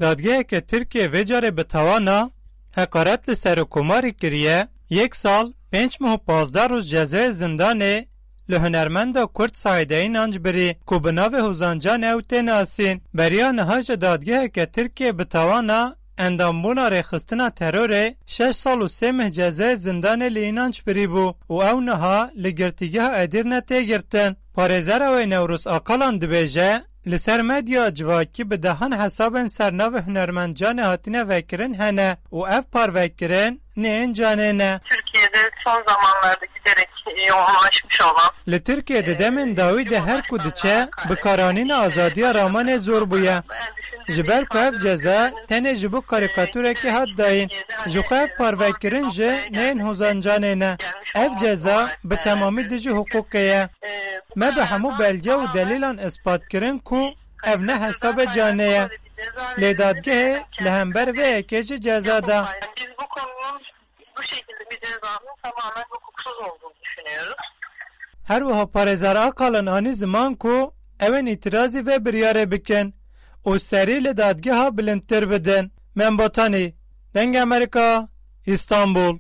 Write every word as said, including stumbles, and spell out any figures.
Dadgeheke Tirkiyê vê carê bi tawana heqaret li Serokkomarî kiriye, yek sal, pênc meh û pazdeh roj cezayê zindanê li hunermenda Kurd Saîde Înanc birî ku bi navê Hozan Can ew tê nasîn. Beriya niha jî dadgeheke Tirkiyê bi tawana endambûna rêxistina terorê şeş sal û sê meh cezayê zindanê li Înanc birî bû û ew niha li girtîgeha Edîrne tê girtin. Parêzera wê Newroz Akalan dibêje, li ser medya civakî bi dehan hesabên ser navê hunermend Canê hatine vekirin hene û ev parvekirin neyên Canê ne. Türkiye'de son zamanlarda giderek yoğunlaşmış olan Li Tirkiyê di demên dawî de her ku diçe, bi karanîna azadiya ramanê zor bûye. Ji ber ku ev ceza tenê ji bo karîkaturekê hat dayîn, ji xwe ev parvekirin jî neyên Hozan Canê ne. Ev ceza bi temamî dijî hiqûqê ye. Me bi hemû belge û delîlan ispat kirin ku ev ne hesabê Canê ye. Lê dadgehê li hember vê yekê jî ceza da. Biz bu konunun bu şekilde bir cezanın tamamen hukuksuz olduğunu düşünüyoruz. Her wiha parêzer Akalin anî ziman ku ew ên îtirazî vê biryarê bikin û serî li dadgeha bilindtir bidin. Membatanî, Dengê Amerîka, Îstanbul.